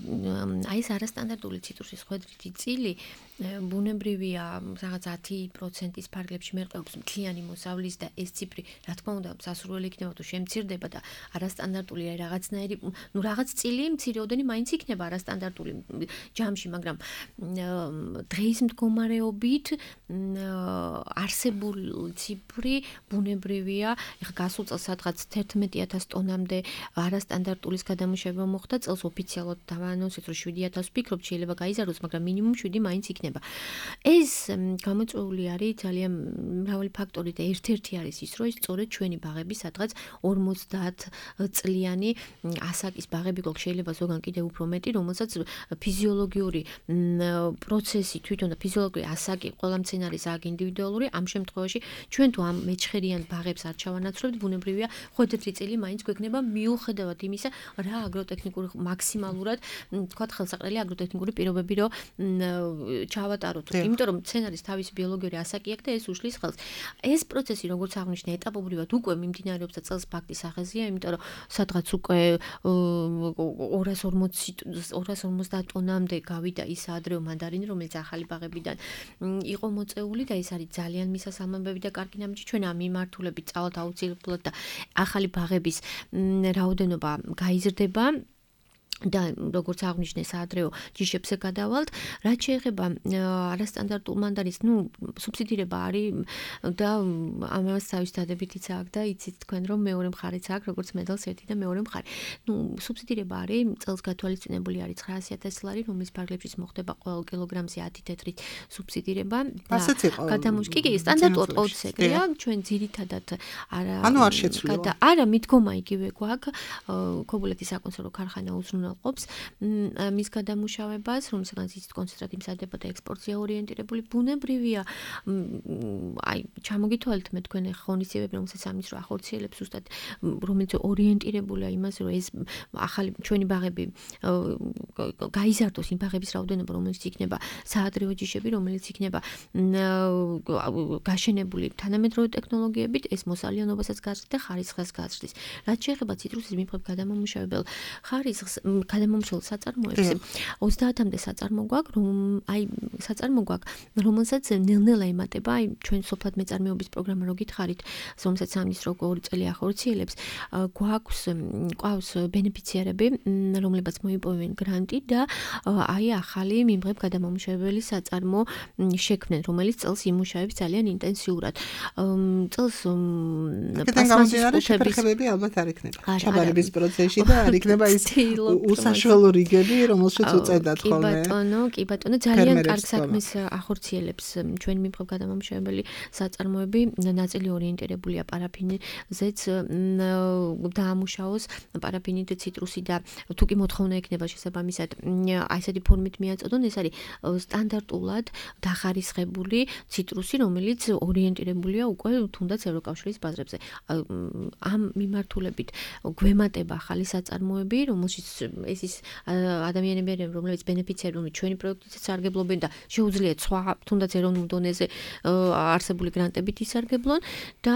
აი ეს არასტანდარტული ციტრუსის ხვედრითი წილი ბუნებრივია რაღაც ათი პროცენტის ფარგლებში მერყეობს მთლიანი მოსავლის და ეს ციფრი რა თქმა უნდა სასურველი იქნება თუ შემცირდება და არასტანდარტული რაღაცნაირი ნუ რაღაც წილი მცირეოდენი მაინც იქნება არასტანდარტული ჯამში, მაგრამ დღეის მდგომარეობით არსებული ციფრი ბუნებრივია. ეხლა გასულ წელს სადღაც თერთმეტი ათასი ტონამდე არასტანდარტულის გადამუშავება მოხდა, წელს ოფიციალურად დაანონსეთ რომ შვიდი ათასი ვფიქრობ შეიძლება გაიზარდოს, მაგრამ მინიმუმ შვიდი მაინც იქნება. ეს გამოწვეული არის ძალიან მრავალი ფაქტორი და ერთ-ერთი არის ის, რომ სწორედ ჩვენი ბაღები სადღაც ორმოცდაათ წლიანი ასაკის ბაღები გვაქვს, შეიძლება ზოგან კიდევ უფრო მეტი, რომელსაც ფიზიოლოგიური პროცესი თვითონ და ფიზიოლოგიური ასაკი ყველა მცენარის აქ ინდივიდუალური, ამ შემთხვევაში ჩვენ თუ ამ მეჩხერიან ბაღებს არ ჩავანაცვლებთ, ბუნებრივია ხუთი წელი მაინც გვექნება მიუხედავად იმისა, რა აგროტექნიკური მაქსიმალურად, თქვათ ხელსაყრელი აგროტექნიკური პირობები რომ ჩავატაროთ. იმიტომ რომ მცენარის თავისი ბიოლოგიური ასაკი აქვს და ეს უშლის ხელს. ეს პროცესი როგორც აღნიშნე ეტაპობრივად უკვე მიმდინარეობს და წელს ფაქტის სახეზია, იმიტომ რომ სადღაც უკვე ორას ორმოცდაათ ტონამდე გავიდა ის ადრეო მანდარინი, რომელიც ახალი ბაღებიდან იყო მოწეული და ეს არის ძალიან მისასალმებელი და კარგი ნაბიჯი. ჩვენ ამ მიმართულებით წავალთ აუცილებლად და ახალი ბაღების რაოდენობა გაიზრდება. და როგორც აღნიშნე საადრეო ჯიშებზე გადავალთ, რაც შეეხება არასტანდარტულ მანდარინს, ნუ სუბსიდირება არის და ამას თავის დადებითიც აქვს და იცით თქვენ რომ მეორე მხარიც აქვს, როგორც მედალს ერთი და მეორე მხარე. ნუ სუბსიდირება არის, წელს გათვალისწინებული არის ცხრაასი ათასი ლარი, რომლის ფარგლებშიც მოხდება ყოველ კილოგრამზე ათი თეთრით სუბსიდირება. ასეც იყო. გადამუშ კი კი სტანდარტულად ყოველთვის ეგრეა, ჩვენ ძირითადად არა ანუ არ შეცვლილა. არა მიდგომა იგივე გვაქვს, ქობულეთის საკონსერვო ქარხანა უზრუნველყოფს მის გადამუშავებას, რომელსაც იცით კონცენტრატი მზადდება და ექსპორტზე ორიენტირებული ბუნებრივია. აი, ჩამოგითვალეთ მე თქვენ ღონისძიებები, რომელსაც ამის რო ახორციელებს ზუსტად, რომელიც ორიენტირებულია იმაზე, რომ ეს ახალი ჩვენი ბაღები გაიზარდოს, იმ ბაღების რაოდენობა, რომელიც იქნება საადრეო ჯიშები, რომელიც იქნება გაშენებული თანამედროვე ტექნოლოგიებით, ეს მოსალიანობასაც გაზრდის და ხარისხს გაზრდის. რაც შეეხება ციტრუსის მიმღებ გადამამუშავებელ ხარისხს გადამომშრალ საწარმოებს ოცდაათამდე საწარმო გვაქვს, რომ აი საწარმო გვაქვს, რომელსაც ნელ-ნელა ემატება, აი ჩვენ სოფლად მეწარმეობის პროგრამა რო გითხარით, რომელსაც სამის რო ორი წელი ახორციელებს, გვაქვს ყავს ბენეფიციარები, რომლებიც მოიპოვებენ გრანტი და აი ახალი მიმღებ გადამამუშავებელი საწარმო შექმნენ, რომელიც წელს იმუშავებს ძალიან ინტენსიურად. წელს პლასმასის შეფერხებები ალბათ არ იქნება. ჩაბარების პროცესში და არ იქნება ის უსაშველო რიგები, რომელშიც უწევდათ ხოლმე. კი ბატონო, კი ბატონო, ძალიან კარგ საქმეს ახორციელებს ჩვენი მიმღებ გადამამუშავებელი საწარმოები, ნაწილი ორიენტირებულია პარაფინზეც დაამუშავოს პარაფინით ციტრუსი და თუ კი მოთხოვნა ექნება შესაბამისად, აი ესეთი ფორმით მიაწოდონ, ეს არის სტანდარტულად დახარისხებული ციტრუსი, რომელიც ორიენტირებულია უკვე თუნდაც ევროკავშირის ბაზრებზე. ამ მიმართულებით გვემატება ახალი საწარმოები, რომელშიც ეს ის ადამიანები არიან, რომლებიც ბენეფიციარები ჩვენი პროექტით სარგებლობენ და შეუძლიათ სხვა თუნდაც ეროვნულ დონეზე არსებული გრანტებით ისარგებლონ და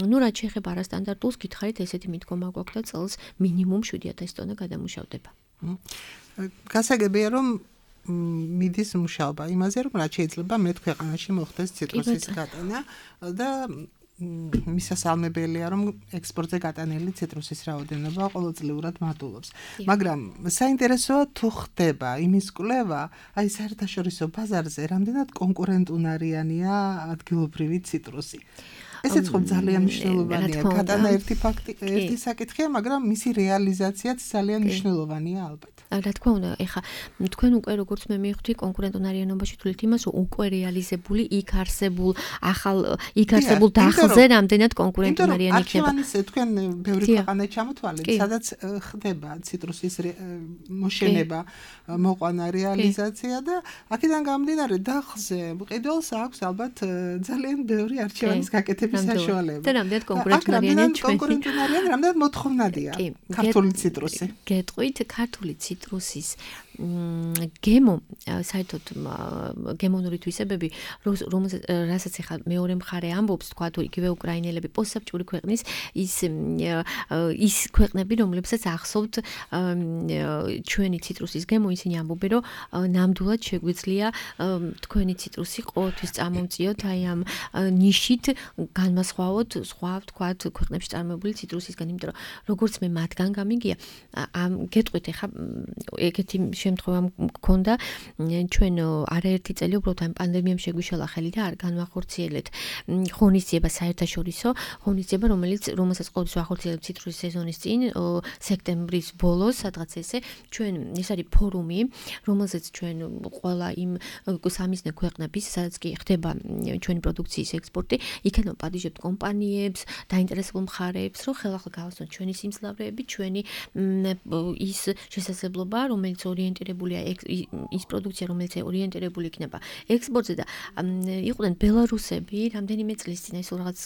ნუ რაც შეეხება არასტანდარტულს, გითხარით ესეთი მიდგომა გვაქვს და წელს მინიმუმ შვიდი ათასი ტონა გადამუშავდება. გასაგებია რომ მიდის მუშაობა იმაზე, რომ რაც შეიძლება მეტ ქვეყანაში მოხდეს ციტრუსის გატანა და მისასალმებელია, რომ ექსპორტზე გატანილი ციტრუსის რაოდენობა ყოველწლიურად მატულობს. მაგრამ საინტერესოა თუ ხდება იმის კვლევა, აი საერთაშორისო ბაზარზე რამდენად კონკურენტუნარიანია ადგილობრივი ციტრუსი. ესეც ხომ ძალიან მნიშვნელოვანია. გატანა ერთი ფაქტი, ერთი საკითხია, მაგრამ მისი რეალიზაციაც ძალიან მნიშვნელოვანია ალბათ. რა თქმა უნდა, ეხა თქვენ უკვე როგორც მე მივხვდი კონკურენტუნარიანობაში თulit იმას, რომ უკვე რეალიზებული, იქ არსებულ, ახალ იქ არსებულ დახზე რამდენად კონკურენტუნარიანი იქნება. არქივანის თქვენ ბევრი ქვეყანა ჩამოთვალეთ, სადაც ხდება ციტრუსის მოშენება, მოყვანა, რეალიზაცია და აქედან გამომდინარე დახზე მყიდველს აქვს ალბათ ძალიან ბევრი არქივანის გაკეთების საშუალება. და რამდენად კონკურენტუნარიანი ჩვენი. კონკურენტუნარიანი, რამდენად მოთხოვნადია ქართული ციტრუსი. გეტყვით, ქართული ციტრუსის გემო საერთოდ გემონური თვისებები რასაც ახლა მეორე მხარე ამბობს თქვა თუ იგივე უკრაინელები პოსტსაბჭოური ქვეყნის ის ის ქვეყნები რომლებსაც ახსოვთ ჩვენი ციტრუსის გემო ისინი ამბობენ რომ ნამდვილად შეგვიძლია თქვენი ციტრუსი ყოველთვის წამომწიოთ აი ამ ნიშით განმასხვავოთ სხვა თქვათ ქვეყნებში წარმოებული ციტრუსისგან იმიტომ რომ როგორც მე მათგან გამიგია ამ გეტყვით ახლა ეგეთი შემთხვევა მქონდა ჩვენ არაერთი წელი უბრალოდ ამ პანდემიამ შეგვიშალა ხელი და არ განვახორციელეთ ღონისძიება საერთაშორისო ღონისძიება რომელიც რომელსაც ყოველთვის ვახორციელებთ ციტრუსის სეზონის წინ სექტემბრის ბოლოს სადღაც ესე ჩვენ ეს არის ფორუმი რომელზეც ჩვენ ყველა იმ სამიზნე ქვეყნების სადაც კი ხდება ჩვენი პროდუქციის ექსპორტი იქნებ პატიჟებთ კომპანიებს დაინტერესებულ მხარეებს რომ ხელახლა გავასწროთ ჩვენი სიმძლავრეები ჩვენი ის შესაძლებლობა რომელიც ორიენტირებულია ის პროდუქცია რომელიც ორიენტირებული იქნება ექსპორტზე და იყვნენ ბელარუსები რამდენიმე წლის წინ ეს რაღაც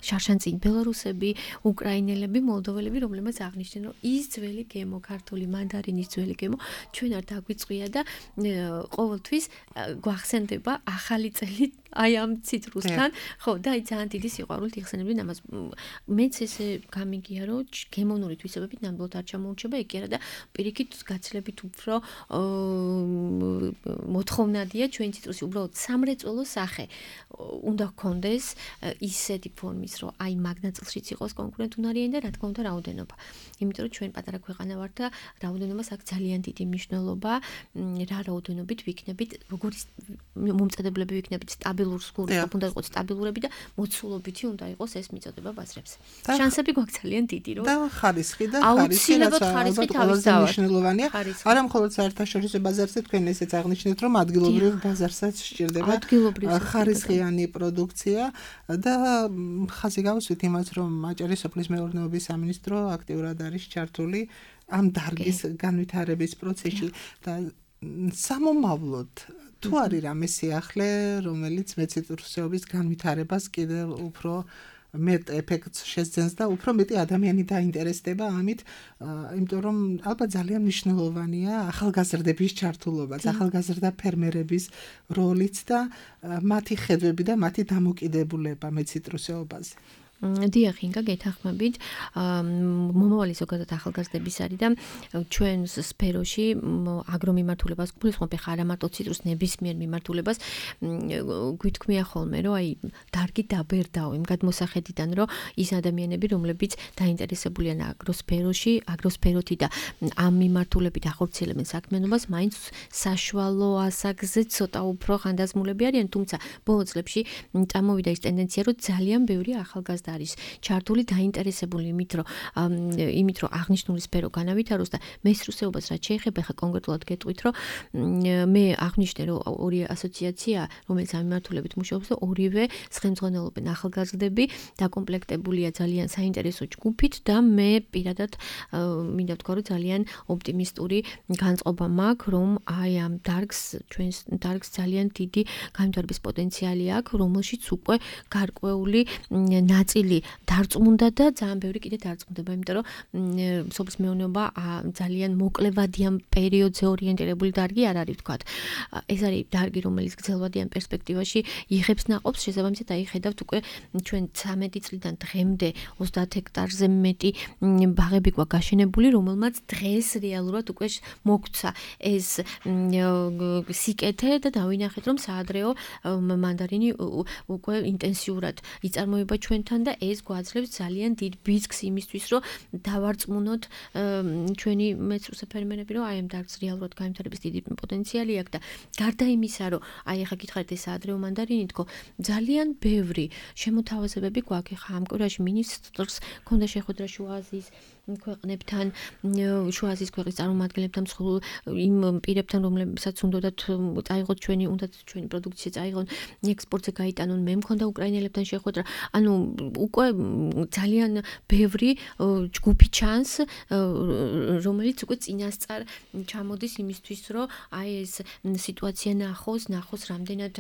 შარშანწინ ბელარუსები, უკრაინელები, მოლდოველები, რომლებიც აღნიშნენ, რომ ის ძველი გემო, ქართული მანდარინის ძველი გემო ჩვენ არ დაგვიწყვია და ყოველთვის გვახსენდება ახალი წელი აი ამ ციტრუსთან, ხო, და აი ძალიან დიდი სიყვარულით იხსენებდნენ ამას. მეც ესე გამიგია, რომ გემონური თვისებებით ნამდვილად არ ჩამოურჩება ეგ კი არა და პირიქით გაცილებით უფრო მოთხოვნადია ჩვენი ციტრუსი უბრალოდ სამრეწველო სახე უნდა გქონდეს ისეთი ფორმის, რომ აი მაგნაწილშიც იყოს კონკურენტუნარიანი და რა თქმა უნდა რაოდენობა. იმიტომ რომ ჩვენ პატარა ქვეყანა ვართ და რაოდენობას აქვს ძალიან დიდი მნიშვნელობა, რა რაოდენობით ვიქნებით, როგორი მომწადებლები ვიქნებით, სტაბილურ სკოლებში უნდა იყოს სტაბილურები და მოცულობითი უნდა იყოს ეს მიწოდება ბაზრებს. შანსები გვაქვს ძალიან დიდი, რომ და ხარისხი და ხარისხი რაც ალბათ ყველაზე მნიშვნელოვანია. არა მხოლოდ საერთაშორისო ბაზარზე თქვენ ესეც აღნიშნეთ, რომ ადგილობრივ ბაზარსაც სჭირდება ხარისხიანი პროდუქცია და ხაზი გავუსვით იმას, რომ აჭარის სოფლის მეურნეობის სამინისტრო აქტიურად არის ჩართული ამ დარგის განვითარების პროცესში და სამომავლოდ თუ არის რამე სიახლე, რომელიც მეციტრუსეობის განვითარებას კიდევ უფრო მეტ ეფექტს შეძენს და უფრო მეტი ადამიანი დაინტერესდება ამით, იმიტომ რომ ალბათ ძალიან მნიშვნელოვანია ახალგაზრდების ჩართულობა, ახალგაზრდა ფერმერების როლიც და მათი ხედვები და მათი დამოკიდებულება მეციტრუსეობაზე. დიახ, ინგა გეთანხმებით, მომავალი ზოგადად ახალგაზრდების არის და ჩვენ სფეროში აგრომიმართულებას გულისხმობ ხა არა მარტო ციტრუს ნებისმიერ მიმართულებას გვითქმია ხოლმე, რომ აი დარგი დაბერდაო იმ გადმოსახედიდან, რომ ის ადამიანები, რომლებიც დაინტერესებულია აგროსფეროში, აგროსფეროთი და ამ მიმართულებით ახორციელებენ საქმიანობას, მაინც საშუალო ასაკზე ცოტა უფრო ხანდაზმულები არიან, თუმცა ბოლო წლებში წამოვიდა ის ტენდენცია, რომ ძალიან ბევრი ახალგაზრდა არის ჩართული დაინტერესებული იმით, რომ იმით, რომ აღნიშნული სფერო განავითაროს და მესრუსეობას რაც შეეხება, ხა კონკრეტულად გეტყვით, რომ მე აღნიშნე, რომ ორი ასოციაცია, რომელიც ამ მიმართულებით მუშაობს, ორივე ხელმძღვანელობენ ახალგაზრდები, დაკომპლექტებულია ძალიან საინტერესო ჯგუფით და მე პირადად მინდა ვთქვა, რომ ძალიან ოპტიმისტური განწყობა მაქვს, რომ აი ამ დარგს, ჩვენს დარგს ძალიან დიდი განვითარების პოტენციალი აქვს, რომელშიც უკვე გარკვეული ნაწილი დარწმუნდა და ძალიან ბევრი კიდე დარწმუნდება, იმიტომ რომ სოფლის მეურნეობა ძალიან მოკლევადიან პერიოდზე ორიენტირებული დარგი არ არის ვთქვათ. ეს არის დარგი, რომელიც გრძელვადიან პერსპექტივაში იღებს ნაყოფს, შესაბამისად აი ხედავთ უკვე ჩვენ ცამეტი წლიდან დღემდე ოცდაათ ჰექტარზე მეტი ბაღები გვაქვს გაშენებული, რომელმაც დღეს რეალურად უკვე მოგვცა ეს სიკეთე და დავინახეთ, რომ საადრეო მანდარინი უკვე ინტენსიურად იწარმოება ჩვენთან და ეს გვაძლევს ძალიან დიდ ბიზნეს იმისთვის, რომ დავარწმუნოთ ჩვენი მეცრუსე ფერმერები, რომ აი ამ დარგს რეალურად განვითარების დიდი პოტენციალი აქვს და გარდა იმისა, რომ აი ახლა გითხარით ეს ადრეო მანდარინი თქო, ძალიან ბევრი შემოთავაზებები გვაქვს ხა ამ კვირაში მინისტრს ქონდა შეხვედრა შუა აზიის ქვეყნებთან, შუა აზიის ქვეყნის წარმომადგენლებთან, მსხვილ იმ პირებთან, რომლებსაც უნდათ წაიღოთ ჩვენი, უნდათ ჩვენი პროდუქცია წაიღონ, ექსპორტზე გაიტანონ, მე მქონდა უკრაინელებთან შეხვედრა. ანუ უკვე ძალიან ბევრი ჯგუფი ჩანს, რომელიც უკვე წინასწარ ჩამოდის იმისთვის, რომ აი ეს სიტუაცია ნახოს, ნახოს რამდენად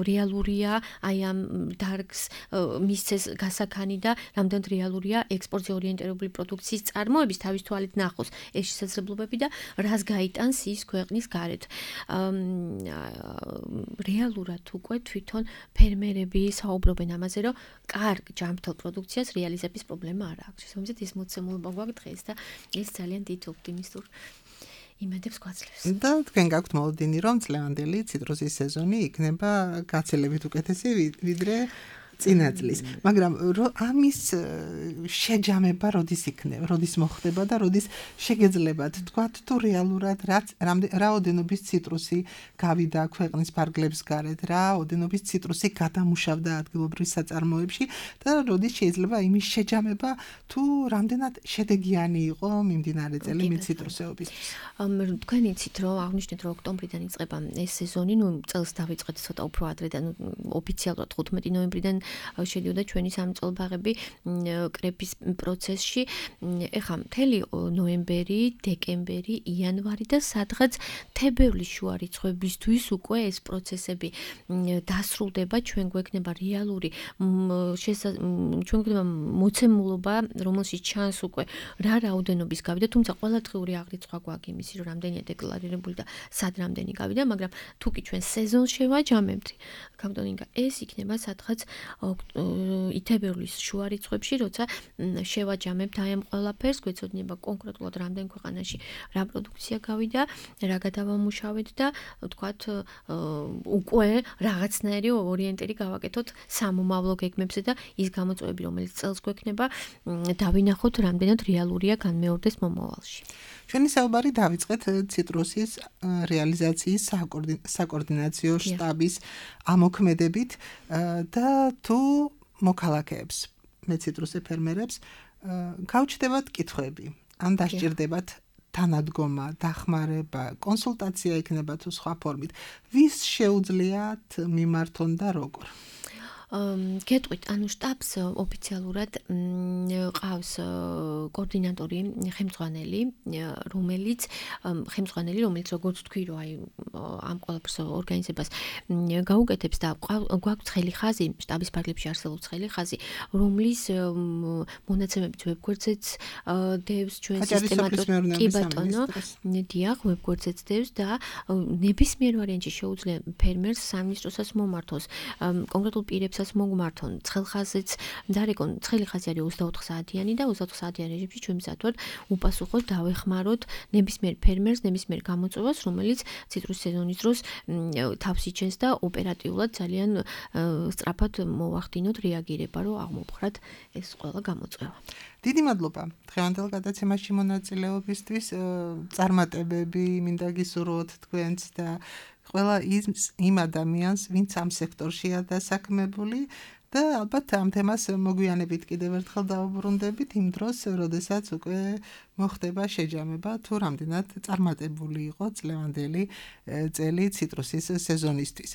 რეალურია აი ამ დარგს მისცეს გასაქანი და რამდენად რეალურია ექსპორტზე ორიენტირებული გავრცელებული პროდუქციის წარმოების თავის თვალით ნახოს ეს შესაძლებლობები და რას გაიტანს ის ქვეყნის გარეთ. რეალურად უკვე თვითონ ფერმერები საუბრობენ ამაზე, რომ კარგ ჯანმრთელ პროდუქციას რეალიზების პრობლემა არ აქვს. შესაბამისად ის მოცემულობა გვაქვს დღეს და ეს ძალიან დიდ ოპტიმისტურ იმედებს გვაძლევს. და თქვენ გაქვთ მოლოდინი, რომ წლევანდელი ციტრუსის სეზონი იქნება გაცილებით უკეთესი ვიდრე წინა წლის. მაგრამ ამის შეჯამება როდის იქნება, როდის მოხდება და როდის შეგეძლებათ თქვათ თუ რეალურად რაოდენობის ციტრუსი გავიდა ქვეყნის ფარგლებს გარეთ, რაოდენობის ციტრუსი გადამუშავდა ადგილობრივ საწარმოებში და როდის შეიძლება იმის შეჯამება თუ რამდენად შედეგიანი იყო მიმდინარე წელი ციტრუსეობისთვის. თქვენ იცით რომ აღნიშნეთ რომ ოქტომბრიდან იწყება ეს სეზონი, ნუ წელს დავიწყეთ ცოტა უფრო ადრე და ოფიციალურად ხუთმეტი ნოემბრიდან შედიოდა ჩვენი სამწოლბაღები კრების პროცესში. ეხლა მთელი ნოემბერი, დეკემბერი, იანვარი და სადღაც თებერვლის შუა რიცხვებისთვის უკვე ეს პროცესები დასრულდება, ჩვენ გვექნება რეალური ჩვენ გვექნება მოცემულობა, რომელშიც ჩანს უკვე რა რაოდენობის გავიდა, თუმცა ყოველდღიური აღრიცხვა გვაქვს იმისი, რომ რამდენია დეკლარირებული და სად რამდენი გავიდა, მაგრამ თუ კი ჩვენ სეზონს შევაჯამებთ, გაგდონინგა ეს იქნება სადღაც ითებერვლის შუა რიცხვებში, როცა შევაჯამებთ აი ამ ყველაფერს, გვეცოდინება კონკრეტულად რამდენ ქვეყანაში რა პროდუქცია გავიდა, რა გადავამუშავეთ და ვთქვათ უკვე რაღაცნაირი ორიენტირი გავაკეთოთ სამომავლო გეგმებზე და ის გამოწვევები, რომელიც წელს გვექნება, დავინახოთ რამდენად რეალურია განმეორდეს მომავალში. ჩვენი საუბარი დავიწყეთ ციტრუსის რეალიზაციის საკოორდინაციო შტაბის ამოქმედებით და თუ მოქალაქეებს, მეციტრუსე ფერმერებს გავჩნდებათ კითხვები, ან დასჭირდებათ თანადგომა, დახმარება, კონსულტაცია იქნება თუ სხვა ფორმით. ვის შეუძლიათ მიმართონ და როგორ? გეტყვით, ანუ შტაბს ოფიციალურად ყავს კოორდინატორი, ხელმძღვანელი, რომელიც ხელმძღვანელი, რომელიც როგორც თქვი, რომ აი ამ ყველაფერს ორგანიზებას გაუკეთებს და გვაქვს ცხელი ხაზი, შტაბის ფარგლებში არსებობს ცხელი ხაზი, რომლის მონაცემებით ვებგვერდზეც დევს ჩვენ სისტემატურად კი ბატონო, დიახ, ვებგვერდზეც დევს და ნებისმიერ ვარიანტში შეუძლია ფერმერს სამინისტროსაც მომართოს, კონკრეტულ პირებს მოგმართონ ცხელხაზიც დარეკონ ცხელი ხაზი არის ოცდაოთხ საათიანი და ოცდაოთხ საათიან რეჟიმში ჩვენ მზადვართ უპასუხოდ დავეხმაროთ ნებისმიერ ფერმერს, ნებისმიერ გამოწვევას, რომელიც ციტრუსის სეზონის დროს თავს იჩენს და ოპერატიულად ძალიან სწრაფად მოვახდინოთ რეაგირება, რომ აღმოფხრათ ეს ყველა გამოწვევა. დიდი მადლობა დღევანდელ გადაცემაში მონაწილეობისთვის, წარმატებები მინდა გისურვოთ თქვენც და ყველა იმ ადამიანს, ვინც ამ სექტორშია დასაქმებული და ალბათ ამ თემას მოგვიანებით კიდევ ერთხელ დავუბრუნდებით იმ დროს, როდესაც უკვე მოხდება შეჯამება თუ რამდენად წარმატებული იყო წლევანდელი წელი ციტრუსის სეზონისთვის.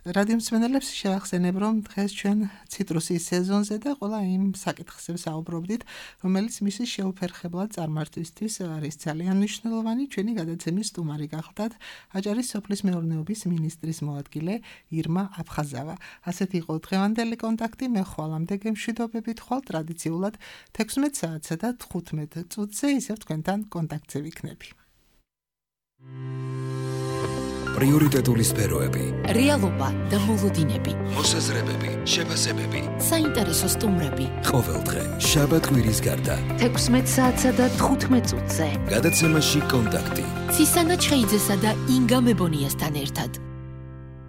რადიო მსმენელებს შევახსენებ, რომ დღეს ჩვენ ციტრუსის სეზონზე და ყველა იმ საკითხზე საუბრობდით, რომელიც მისი შეუფერხებლად წარმართვისთვის არის ძალიან მნიშვნელოვანი. ჩვენი გადაცემის სტუმარი გახლდათ აჭარის სოფლის მეურნეობის მინისტრის მოადგილე ირმა აფხაზავა. ასეთი იყო დღევანდელი კონტაქტი. მე ხვალამდე გემშვიდობებით ხვალ ტრადიციულად თექვსმეტ საათსა და თხუთმეტ წუთზე ისევ თქვენთან კონტაქტზე ვიქნები. პრიორიტეტული სფეროები, რეალობა და მოლოდინები, მოსაზრებები, შეფასებები, საინტერესო სტუმრები. ყოველდღე შაბათ-კვირის გარდა თექვსმეტ საათსა და თხუთმეტ წუთზე. გადაცემაში კონტაქტი. ცისანა ჩხეიძესა და ინგა მებონიასთან ერთად.